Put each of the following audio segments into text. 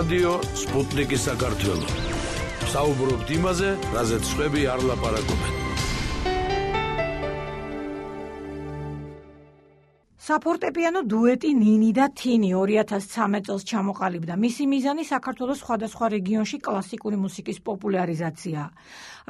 რადიო სპუტნიკი საქართველო. საუბრობთ იმაზე, რაზეც სხვები არ ლაპარაკობენ. საფორტეპიანო დუეტი ნინი და თინი 2013 წელს ჩამოყალიბდა. მისი მიზანი საქართველოს სხვადასხვა რეგიონში კლასიკური მუსიკის პოპულარიზაციაა.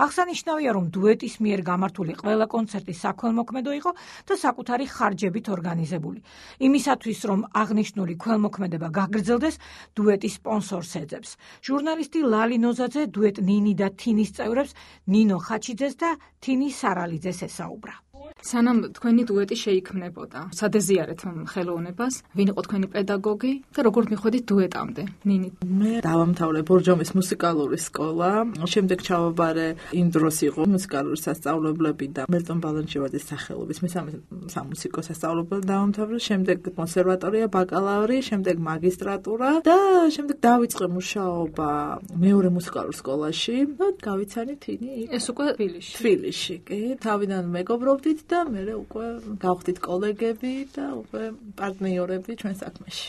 აღსანიშნავია, რომ დუეტის მიერ გამართული ყველა კონცერტი საქველმოქმედო იყო და საკუთარი ხარჯებით ორგანიზებული. იმისათვის, რომ აღნიშნული ქველმოქმედება გაგრძელდეს, დუეტი სპონსორს ეძებს. ჟურნალისტი ლალი ნოზაძე დუეტ ნინი და თინის წევრებს ნინო ხაჩიძეს და თინი სარალიძეს ესაუბრა. სანამ თქვენი დუეტი შეიქმნებოდა, სადეზიარეთ ხელოვნებას, ვინ იყო თქვენი პედაგოგი და როგორ მიხვედით დუეტამდე? ნინი. მე დავამთავრე ბორჯომის მუსიკალური სკოლა, შემდეგ ჩავაბარე იმ დროს იყო მუსიკალური სასწავლებლები და მელტონ ბალანჩივაძის სახელობის მესამე სამუსიკო სასწავლებელი დავამთავრე, შემდეგ კონსერვატორია, ბაკალავრი, შემდეგ მაგისტრატურა და შემდეგ დავიწყე მუშაობა მეორე მუსიკალურ სკოლაში და გავიცანი თინი. ეს უკვე თბილისში. თბილისში, კი. თავიდან მეგობრობდით და მე უკვე გავხდით კოლეგები და უკვე პარტნიორები ჩვენ საქმეში.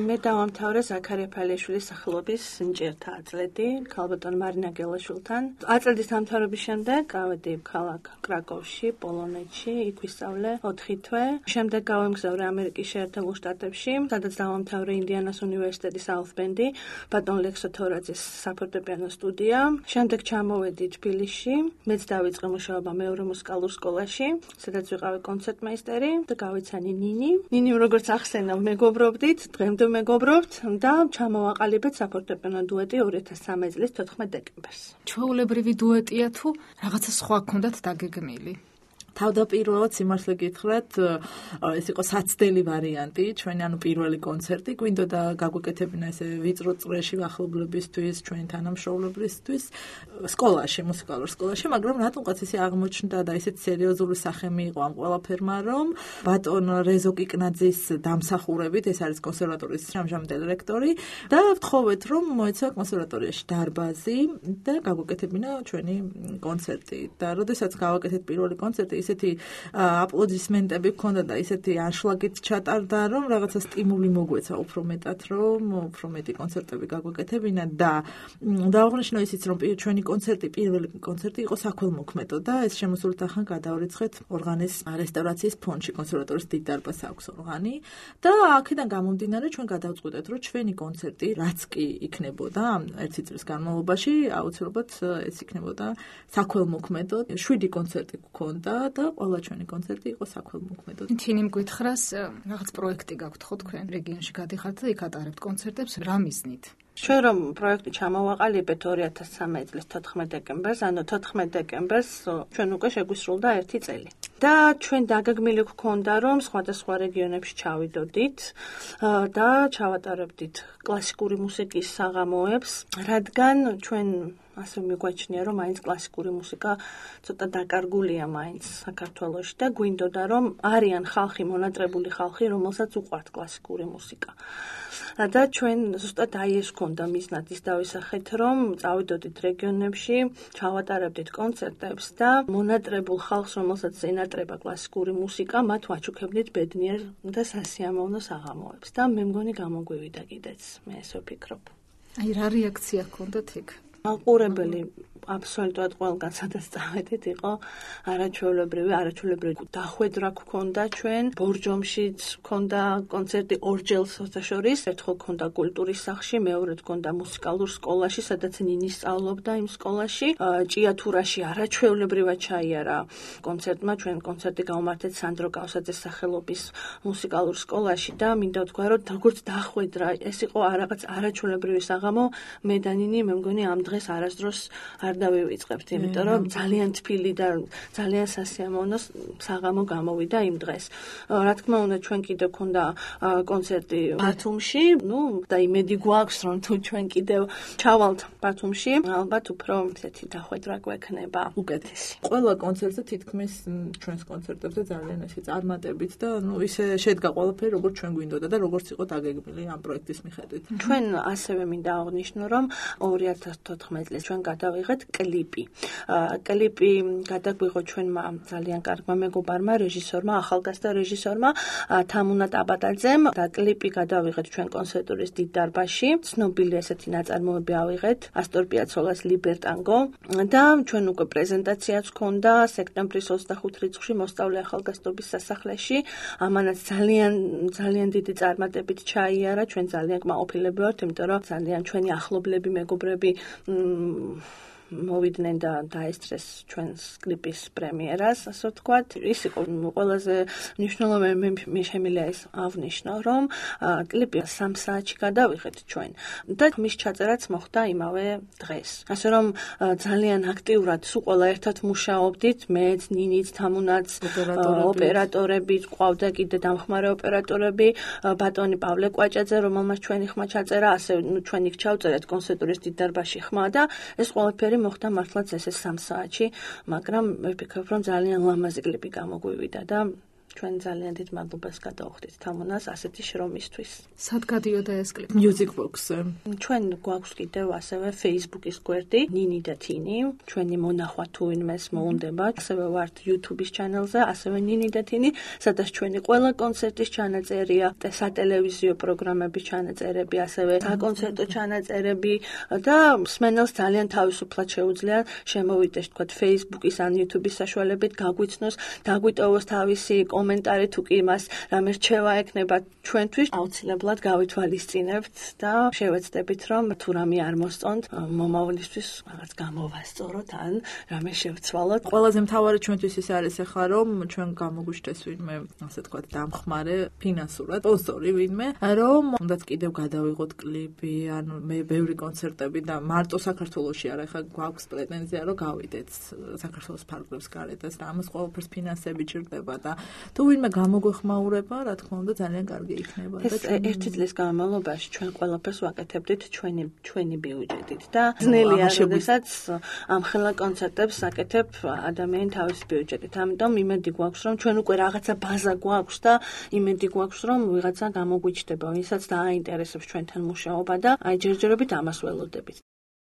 მე დავამთავრე ზაქარია ფალეიშვილის სახელობის ნიჭიერთა აწლედი ქალბატონ მარინა გელაშვილთან. აწლედის დამთავრების შემდეგ გავედი ქალაქ კრაკოვში, პოლონეთში, იქ ვისწავლე 4 თვე. შემდეგ გავემგზავრე ამერიკის შეერთებულ შტატებში, სადაც დავამთავრე ინდიანას უნივერსიტეტის ალფბენდი, ბატონ ლექსო თორაძის საფორტეპიანო სტუდია. შემდეგ ჩამოვედი თბილისში, მეც დავიწყე მუშაობა მეორე მუსიკალურ სკოლაში, სადაც ვიყავი კონცერტმეისტერი და გავიცანი ნინი. ნინიმ როგორც ახსენა, მეგობრობდით, დღემდე მეგობრობთ და ჩამოვაყალიბეთ საფორტეპიანო დუეტი 2013 წლის 14 დეკემბერს. ჩვეულებრივი დუეტია თუ რაღაცა სხვა გქონდათ დაგეგმილი? თავდაპირველად სიმართლე გითხრათ, ეს იყო საცდელი ვარიანტი, ჩვენი ანუ პირველი კონცერტი, გვინდოდა გაგვეკეთებინა ესე ვიწრო წრეში ახლობლებისთვის, ჩვენი თანამშრომლებისთვის, სკოლაში, მუსიკალურ სკოლაში, მაგრამ რატომღაც ისე აღმოჩნდა და ისეთ სერიოზული სახე მიიღო ამ ყველაფერმა, რომ ბატონ რეზო კიკნაძის დამსახურებით, ეს არის კონსერვატორიის ამჟამინდელი რექტორი, და ვთხოვეთ, რომ მოეცა კონსერვატორიაში დარბაზი და გაგვეკეთებინა ჩვენი კონცერტი. და როდესაც გავაკეთეთ პირველი კონცერტი, ისეთი აპლოდისმენტები გქონდა და ისეთი ანშლაგით ჩატარდა, რომ რაღაცა სტიმული მოგვეცა უფრო მეტად, რომ უფრო მეტი კონცერტები გაგვეკეთებინა და დავაღნიშნო ისიც, რომ ჩვენი კონცერტი, პირველი კონცერტი იყო საქველმოქმედო და ეს შემოსული თანხა გადავრიცხეთ ორღანის რესტავრაციის ფონდში, კონსერვატორის დიდ დარბაზს აქვს ორღანი და აქედან გამომდინარე ჩვენ გადავწყვიტეთ, რომ ჩვენი კონცერტი, რაც კი იქნებოდა ერთი წლის განმავლობაში, აუცილებლად ეს იქნებოდა საქველმოქმედო. 7 კონცერტი გქონდა და ყველა ჩვენი კონცერტი იყო საქველმოქმედო. თინიმ გითხრას, რაღაც პროექტი გაქვთ ხო თქვენ რეგიონში გადიხართ და იქ ატარებთ კონცერტებს, რა მიზნით? ჩვენ რომ პროექტი ჩამოვაყალიბეთ 2013 წლის 14 დეკემბერს, ანუ 14 დეკემბერს ჩვენ უკვე შეგვისრულდა 1 წელი. და ჩვენ დაგეგმილი გვქონდა, რომ სხვადასხვა რეგიონებში ჩავიდოდით და ჩავატარებდით კლასიკური მუსიკის საღამოებს, რადგან ჩვენ ასე მიგვაჩნია, რომ მაინც კლასიკური მუსიკა ცოტა დაკარგულია მაინც საქართველოში და გვინდოდა, რომ არიან ხალხი, მონატრებული ხალხი, რომელსაც უყვართ კლასიკური მუსიკა. და ჩვენ ზუსტად აი ეს გქონდა მიზნად ის დავისახეთ, რომ წავიდოდით რეგიონებში, ჩავატარებდით კონცერტებს და მონატრებულ ხალხს, რომელსაც ენატრება კლასიკური მუსიკა, მათ ვაჩუქებდით ბედნიერ და სასიამოვნო საღამოებს და მე მგონი გამოგვივიდა კიდეც, მე ესე ვფიქრობ. აი რა რეაქცია გქონდათ იქ? ალყურებელი აბსოლუტურად ყველგან სადაც წავედით იყო არაჩვეულებრივი დახვედრა გქონდა ჩვენ ბორჯომშიც გქონდა კონცერტი ორჯერ სოთაშორის ერთხელ გქონდა კულტურის სახლში მეორედ გქონდა მუსიკალურ სკოლაში სადაც ნინი სწავლობდა იმ სკოლაში ჭიათურაში არაჩვეულებრივად ჩაიარა კონცერტმა ჩვენ კონცერტი გავმართეთ სანდრო კავსაძეს სახელობის მუსიკალურ სკოლაში და მინდა ვთქვა რომ როგორც დახვედრა ეს იყო რაღაც არაჩვეულებრივი საღამო მე და ნინი მე მგონი ამ დღეს არასდროს არ დავივიწყებთ, იმიტომ რომ ძალიან თბილი და ძალიან სასიამოვნო საღამო გამოვიდა იმ დღეს. რა თქმა უნდა, ჩვენ კიდევ გქონდა კონცერტი ბათუმში, და იმედი გვაქვს, რომ თუ ჩვენ კიდევ ჩავალთ ბათუმში, ალბათ უფრო ესეთი დახვედრა გვექნება უკეთესი. ყველა კონცერტზე თითქმის ჩვენს კონცერტებზე ძალიან ესე წარმატებით და ისე შედგა ყველაფერი, როგორც ჩვენ გვინდოდა და როგორც იყო დაგეგმილი ამ პროექტის მიხედვით. ჩვენ ასევე მინდა აღვნიშნო, რომ 2014 წელს ჩვენ გადავიღეთ კლიპი. კლიპი გადაგვიღო ჩვენმა ძალიან კარგმა მეგობარმა, რეჟისორმა, ახალგაზრდა რეჟისორმა თამუნა ტაბატაძემ და კლიპი გადავიღეთ ჩვენ კონცერტურის დიდ დარბაზში. ცნობილი ესეთი ნაწარმოები ავიღეთ, ასტორ პიაცოლას ლიბერტანგო და ჩვენ უკვე პრეზენტაციაც ჰქონდა სექტემბრის 25 რიცხვში მოსწავლე ახალგაზრდობის სასახლეში. ამანაც ძალიან დიდი წარმატებით ჩაიარა, ჩვენ ძალიან კმაყოფილები ვართ, იმიტომ რომ ძალიან ჩვენი ახლობლები, მეგობრები მოვიდნენ და დაესწრეს ჩვენს კლიპის პრემიერას, ასე ვთქვათ. ის იყო ყველაზე მნიშვნელოვანი, მე შემიძლია ეს ავნიშნო, რომ კლიპი 3 საათში გადავიღეთ ჩვენ და მის ჩაწერაც მოხდა იმავე დღეს. ასე რომ ძალიან აქტიურად სულ ყველა ერთად მუშაობდით, მეც, ნინიც, თამუნაც, ოპერატორები, ყავდა კიდე დამხმარე ოპერატორები, ბატონი პავლე კვაჭაძე, რომელმაც ჩვენი ხმა ჩაწერა, ასე ჩვენ იქ ჩავწერეთ კონცერტურის დიდ დარბაზში ხმა და ეს ყველაფერი მოხდა მართლაც ესე 3 საათში, მაგრამ მე ვფიქრობ, რომ ძალიან ლამაზი კლიპი გამოგვივიდა და ჩვენ ძალიან დიდ მადლობას გადავხდით თამუნას ასეთი შრომისთვის. სად გადიოდა ეს კლიპი? Music Box-ზე. ჩვენ გვაქვს კიდევ ასევე Facebook-ის გვერდი ნინი და თინი, ჩვენი მონახვა თუ ვინმეს მოუნდება, ასევე ვართ YouTube-ის ჩანელზე, ასევე ნინი და თინი, სადაც ჩვენი ყველა კონცერტის ჩანაწერია, სატელევიზიო პროგრამების ჩანაწერები, ასევე საკონცერტო ჩანაწერები და მსმენელს ძალიან თავისუფლად შეუძლია შემოვიდეს, თქვათ, Facebook-ის ან YouTube-ის საშუალებით გაგვიცნოს, დაგვიტოვოს თავისი კომენტარი თუ კი მას რამე რჩევა ექნება ჩვენთვის, აუცილებლად გავითვალისწინებთ და შევეცდებით, რომ თუ რამე არ მოსწონთ, მომავლისთვის რაღაც გამოვასწოროთ ან რამე შევცვალოთ. ყველაზე მთავარი ჩვენთვის ის არის ახლა, რომ ჩვენ გამოგვიშდეს ვინმე, ასე ვთქვათ, დამხმარე ფინანსურად, სპონსორი ვინმე, რომ უნდათ კიდევ გადავიღოთ კლიპი, ან მე ბევრი კონცერტები და მარტო საქართველოში არა, ახლა გვაქვს პრეტენზია, რომ გავიდეთ საქართველოს ფარგლებს გარეთაც და ამას ყველაფერს ფინანსები ჭირდება და თუ ვინმე გამოგვეხმაურება, რა თქმა უნდა, ძალიან კარგი იქნება და ერთი წლის განმავლობაში ჩვენ ყველაფერს ვაკეთებდით ჩვენი ბიუჯეტით და ძნელია, როდესაც ამხელა კონცერტებს აკეთებ ადამიანი თავის ბიუჯეტით. ამიტომ იმედი გვაქვს, რომ ჩვენ უკვე რაღაცა ბაზა გვაქვს და იმედი გვაქვს, რომ ვიღაცა გამოგვიჩნდება, ვისაც დააინტერესებს ჩვენთან მუშაობა და აი ჯერჯერობით ამას ველოდებით.